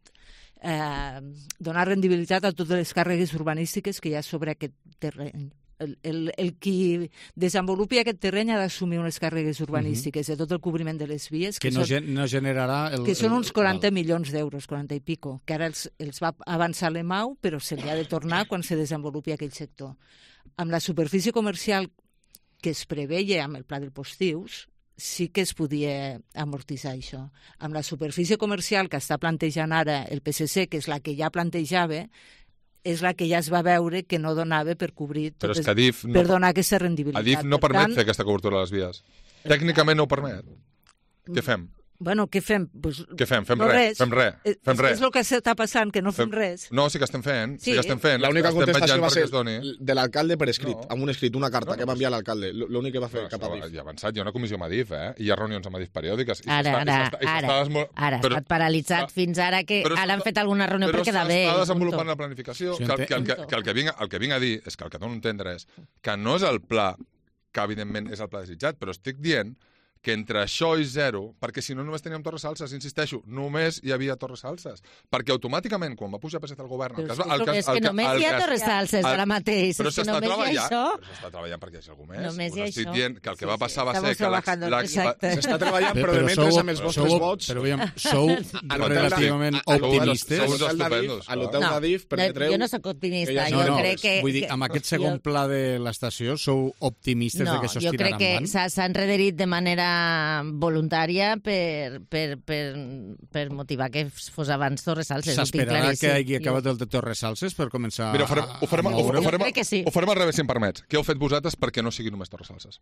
Q: eh, donar rendibilitat a totes les càrregues urbanístiques que hi ha sobre aquest terreny. El, el, el qui desenvolupi aquest terreny ha d'assumir unes càrregues urbanístiques uh -huh. de tot el cobriment de les vies,
B: Que,
Q: que,
B: no,
Q: són,
B: gen, no generarà... El,
Q: que són
B: el-
Q: uns quaranta
B: val.
Q: milions d'euros, quaranta i pico, que ara els, els va avançar l'E M A U, però se li ha de tornar quan se desenvolupi aquell sector. Amb la superfície comercial que es preveia amb el pla del Postius, sí que es podia amortitzar això. Amb la superfície comercial que està plantejant ara el P S C, que és la que ja plantejava, és la que ja es va veure que no donava per cobrir
O: Però és
Q: totes,
O: que Adif no-
Q: per donar aquesta rendibilitat.
O: Adif no
Q: Per
O: permet
Q: tant,
O: fer aquesta cobertura a les vies. Tècnicament no ho permet. Què fem?
Q: Bueno, què fem? Pues,
O: Què fem? Fem
Q: no
O: res, fem res,
Q: És,
O: fem
Q: és,
O: res.
Q: és el que està passant, que no fem,
O: Fem-
Q: res.
O: No, sí que estem fent, sí,
Q: Sí.
O: que estem fent.
R: L'única
O: estem
R: contestació
O: vetllant
R: va
O: perquè
R: ser
O: es doni.
R: de l'alcalde per escrit,
O: No.
R: amb un escrit, una carta
O: No,
R: que
O: no,
R: va enviar l'alcalde. L'únic que va fer cap a
O: Això,
R: Adif.
O: ja ha avançat, hi ha una comissió amb Adif, eh? I hi ha reunions amb Adif periòdiques. I
P: Ara,
O: s'està- i
P: ara,
O: s'està- i s'està
P: ara,
O: desmo-
P: ara, ha
O: però-
P: estat paralitzat
O: Ah,
P: fins ara que
O: però
P: ara han
O: s'està-
P: fet alguna reunió
O: però
P: per quedar bé.
O: s'està
P: i
O: desenvolupant
P: punto.
O: la planificació.
B: Sí,
O: Que, el, que, el, que,
P: punto.
O: que el, que vinc, el que vinc a dir és que el que dono a entendre és que no és el pla que, evidentment, és el pla desitjat, però estic dient que entre això i zero, perquè si no només teníem Torres Salses, insisteixo, només hi havia Torres Salses. Perquè automàticament, quan va pujar P S C al govern...
P: Però
O: el
P: és
O: cas,
P: que
O: el cas,
P: és que
O: el,
P: només
O: el
P: hi ha
O: cas-
P: Torres Salses
O: el-
P: ara mateix,
O: Però
P: és que
O: s'està
P: només hi ha
O: treballant,
P: això.
O: però s'està treballant perquè hi hagi algú més.
P: Només hi ha
O: Us estic
P: això.
O: dient que el que
Q: Sí,
O: va
Q: sí,
O: passar va
Q: estamos
O: ser que la,
Q: trabajando,
O: la,
Q: exacte.
R: S'està treballant, però,
B: Però
R: de mentre
B: sou-
R: amb els vostres
B: sou-
R: vots...
B: Però aviam, sou relativament
R: a l'hotel-
B: optimistes.
R: a
O: Sou
R: l'hotel d'Adif-
O: estupendos,
R: A l'hotel
P: No,
R: d'Adif
P: no,
R: permetreu...
P: jo no sóc optimista,
R: que hi hagi-
P: jo
B: No, no,
P: crec que...
B: vull dir, amb aquest segon
P: jo-
B: pla de l'estació sou optimistes
P: no,
B: de que això es
P: jo
B: tirarà
P: crec que
B: endavant?
P: s'ha s'ha enrederit de manera voluntària per, per, per, per motivar que fos abans Torres Salses. ho tinc
B: S'esperarà
P: claríssim.
B: que hagi
P: Jo-
B: acabat el de Torres Salses per començar
O: Mira, ho farem, ho farem,
B: a, a
O: ho,
B: moure?
O: ho farem,
P: crec que sí.
O: ho farem al revés, si em permets. Què heu fet vosaltres perquè no sigui només Torres Salses?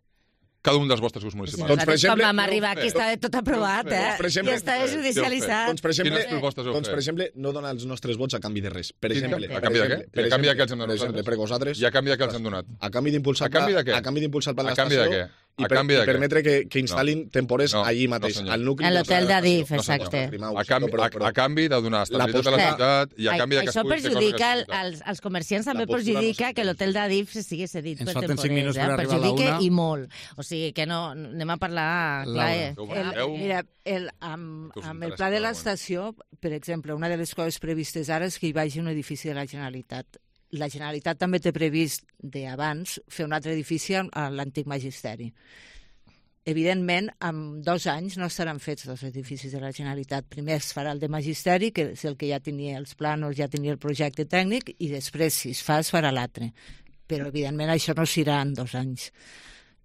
O: Cada un dels vostres grups
P: Si
O: municipals.
R: Doncs, per
P: nosaltres,
R: exemple,
P: quan vam
R: no ho
P: arribar
O: fer.
P: aquí estava tot aprovat,
O: No ho fer.
P: eh?
R: Doncs, per exemple,
P: I estava judicialitzat.
R: Doncs, per exemple,
O: Quines propostes heu
R: doncs, per
O: fet?
R: exemple, no donar els nostres vots a canvi de res. Per
O: Sí,
R: exemple,
O: a canvi de què?
R: per
O: I a canvi de què els hem
R: per
O: donat
R: exemple,
O: nosaltres?
R: per vosaltres,
O: I a canvi de què els hem donat?
R: a canvi d'impulsar
O: A canvi de què?
R: a canvi d'impulsar el pla de
O: A canvi de
R: l'estació,
O: què?
R: i, per, i permetre que, que instal·lin no. temporers no, allí mateix,
O: no,
R: al nucli.
P: A l'hotel d'Adif, exacte.
O: No, a, canvi, a, a canvi de donar estabilitat a la ciutat i a canvi de que
P: això perjudica els, els comerciants, també perjudica que l'hotel d'Adif sigui cedit per temporers. Eh? Perjudica i molt. O sigui que no, anem a parlar clar.
Q: El, mira, el, amb, amb el pla de l'estació, per exemple, una de les coses previstes ara és que hi vagi un edifici de la Generalitat. La Generalitat també té previst d'abans fer un altre edifici a l'antic magisteri. Evidentment, en dos anys no estaran fets dos edificis de la Generalitat. Primer es farà el de magisteri, que és el que ja tenia els plànols, ja tenia el projecte tècnic, i després, si es fa, es farà l'altre. Però, evidentment, això no serà en dos anys.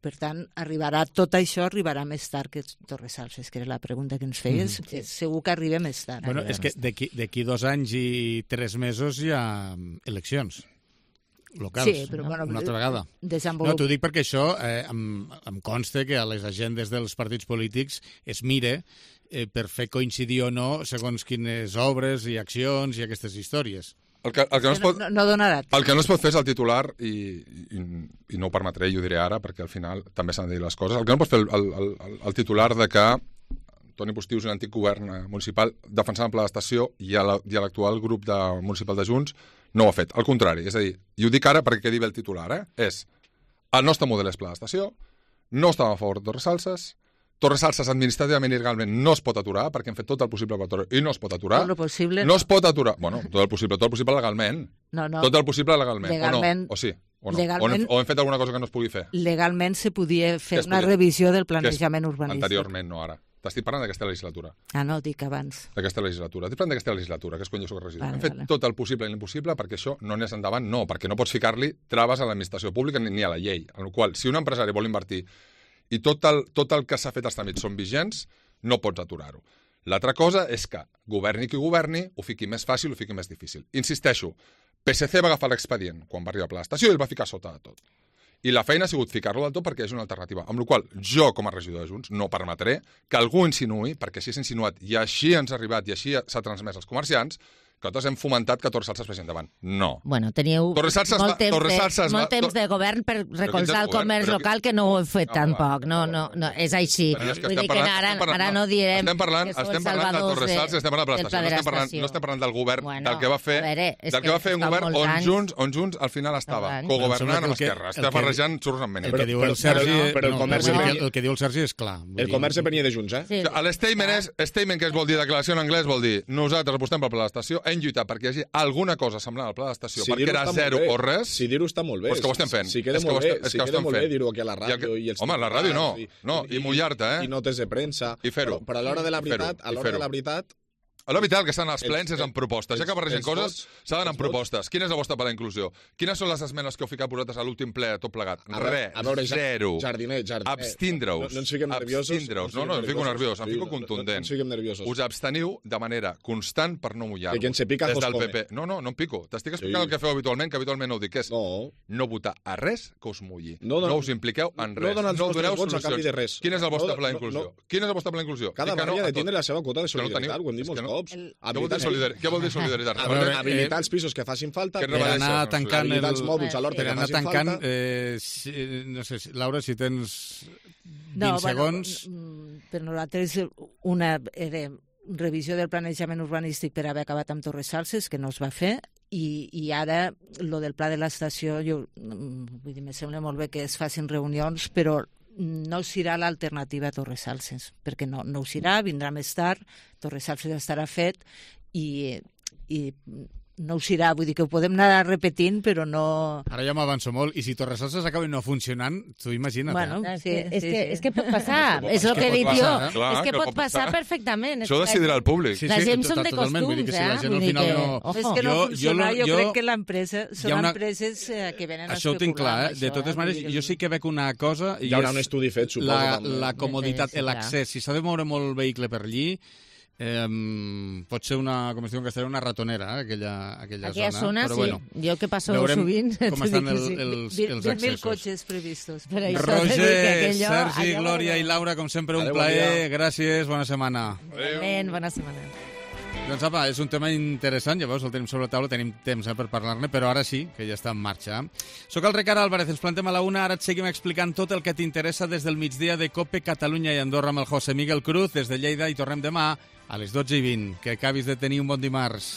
Q: Per tant, arribarà, tot això arribarà més tard que Torresalses, que era la pregunta que ens feies. Mm, sí. Segur que arriba més tard.
B: Bueno, és que d'aquí dos anys i tres mesos hi ha eleccions locals,
Q: sí, però, bueno,
B: una altra vegada.
Q: Desenvolup...
B: No, t'ho dic perquè això eh, em, em consta que a les agendes dels partits polítics es mire eh, per fer coincidir o no segons quines obres i accions i aquestes històries.
O: El que, el que no, es pot,
Q: no, no donarà.
O: El que no es pot fer és el titular, i, i, i no ho permetré, i ho diré ara, perquè al final també s'han de dir les coses. El que no pot fer el, el, el, el titular de que Toni Postius, un antic govern municipal, defensant el pla d'estació, i a l'actual grup de, municipal de Junts no ho ha fet. Al contrari, és a dir, i ho dic ara perquè quedi bé el titular, eh? és el nostre model és pla d'estació, no estàvem a favor de Torresalses, Torresalses administrativament i legalment no es pot aturar, perquè hem fet tot el possible per aturar, i no es pot aturar.
Q: Tot el possible.
O: No es pot aturar. Bueno, tot el possible, tot el possible legalment.
Q: No, no.
O: Tot el possible legalment.
Q: Legalment.
O: O no? O sí? O no?
Q: Legalment,
O: o, hem, o hem fet alguna cosa que no es pugui fer?
Q: Legalment se podia fer
O: es
Q: una
O: podia?
Q: revisió del planejament urbanístic.
O: Anteriorment, no ara. T'estic parlant d'aquesta legislatura.
Q: Ah, no, dic abans.
O: D'aquesta legislatura. Estic parlant d'aquesta legislatura, que és quan jo soc regidor.
Q: Vale,
O: hem fet
Q: vale.
O: tot el possible i l'impossible perquè això no anés endavant, no, perquè no pots ficar-li traves a l'administració pública ni, ni a la llei. En el qual, si un empresari vol invertir i tot el, tot el que s'ha fet als tràmits són vigents, no pots aturar-ho. L'altra cosa és que, governi qui governi, ho fiqui més fàcil, ho fiqui més difícil. Insisteixo, P S C va agafar l'expedient quan va arribar a Pla d'Estació i el va ficar sota de tot. I la feina ha sigut ficar-lo del tot perquè és una alternativa. Amb la qual jo, com a regidor de Junts, no permetré que algú insinuï, perquè així s'ha insinuat i així ens ha arribat i així s'ha transmès als comerciants, que nosaltres hem fomentat que Torresalses vagi endavant. No.
P: Bueno, teníeu
O: Torresalses
P: molt,
O: va,
P: temps,
O: Torresalses
P: de, molt temps de govern per recolzar el comerç
O: però,
P: local, que no ho heu fet
O: no,
P: tampoc. No, no, no, és així.
O: És que
P: Vull dir que
O: parlant,
P: ara,
O: parlant,
P: ara no direm
O: estem parlant,
P: que sou
O: estem
P: els
O: parlant de
P: salvadors
O: Torresalses, estem parlant de
P: del pla de
O: l'estació, no, estem parlant,
P: l'estació.
O: no estem parlant del govern,
P: Bueno,
O: del que va fer,
P: veure,
O: del que va fer un govern on Junts, on Junts al final estava cogovernant amb Esquerra. Està barrejant xurros amb
B: el que diu el Sergi, però el comerç el que diu el Sergi és clar.
R: El comerç venia de Junts, eh?
O: L'estatement és, statement que es vol dir, declaració en anglès vol dir, nosaltres apostem pel pla d'estació, hem lluitat perquè hi hagi alguna cosa semblant al pla d'estació,
R: si
O: perquè era zero o res.
R: Si dir-ho està molt bé.
O: Doncs que ho estem fent.
R: Si queda molt bé, si queda molt bé dir-ho aquí a la ràdio. I els
O: home, a la ràdio no. No, i mullar-te, eh?
R: I notes de premsa.
O: I fer-ho.
R: Però a l'hora de la veritat, a l'hora de la veritat...
O: A l'horitat, el que estan als plens és amb propostes. Ja que barregen coses, s'ha d'anar amb propostes. Quina és la vostra per la inclusió? Quines són les esmenes que heu ficat vosaltres a l'últim ple, tot plegat? Res, zero.
R: Jardiner, jardiner.
O: Abstindre-us.
R: No ens fiquem nerviosos.
O: Abstindre-us. No, no, em fico nerviós, em fico contundent.
R: No ens fiquem nerviosos.
O: Us absteniu de manera constant per no mullar-vos.
R: Que quien se pica,
O: des del
R: come.
O: P P. No, no, no em pico. T'estic explicant el que feu habitualment, que habitualment no ho dic, que és no votar a res que us mulli. No us impliqueu en res.
R: No doneu solucions.
O: Quin és el vostre pla d'inclusió? Quin és el vostre pla d'inclusió?
R: Cada barri ha de tindre la seva quota de solidaritat, ho hem dit molts cops.
O: Què vol dir solidaritat?
R: A veure, habilitar els pisos que facin falta,
B: per anar tancant
R: habilitar els mòduls a l'horta que facin falta.
B: Eh, si, no sé, Laura, si tens vint
Q: no,
B: segons...
Q: Bueno, per nosaltres una era revisió del planejament urbanístic per haver acabat amb Torresalses, que no es va fer, i, i ara lo del pla de l'estació, jo vull dir, me sembla molt bé que es facin reunions, però no serà l'alternativa a Torresalses, perquè no, no ho serà, vindrà més tard, Torresalses estarà fet i, i no ho serà, vull dir que ho podem anar repetint, però no...
B: Ara ja m'avanço molt, i si Torresalses acaba no funcionant, tu imagina't.
Q: Bueno,
B: eh?
Q: sí,
P: és,
Q: sí,
P: que,
Q: sí.
P: és que pot passar, és el que he dit jo, és que pot passar perfectament.
O: Això ho decidirà el públic.
P: La gent són de costums, eh?
B: Vull dir que...
Q: És que no funciona, jo crec que l'empresa són empreses que venen a especular.
B: Això ho tinc clar, eh? De totes maneres, jo sí que veig una cosa...
R: Hi haurà un estudi fet, suposo.
B: La comoditat, l'accés, si s'ha de moure molt vehicle per allí, Eh, pot ser una, com es diu en castellà, una ratonera, eh, aquella, aquella,
P: aquella
B: zona.
P: zona,
B: però,
P: sí.
B: Bueno,
P: jo que passo sovint...
B: com estan el, els, els accessos.
Q: vint mil cotxes previstos.
B: Roger, Sergi, Glòria i Laura, com sempre, un plaer. Gràcies, bona setmana.
P: Adéu. Bona setmana.
B: Doncs apa, és un tema interessant, ja veus, el tenim sobre la taula, tenim temps eh, per parlar-ne, però ara sí, que ja està en marxa. Soc el Ricard Álvarez, ens plantem a la una, ara et seguim explicant tot el que t'interessa des del migdia de COPE Catalunya i Andorra amb el José Miguel Cruz, des de Lleida, i tornem demà a les dotze i vint. Que acabis de tenir un bon dimarts.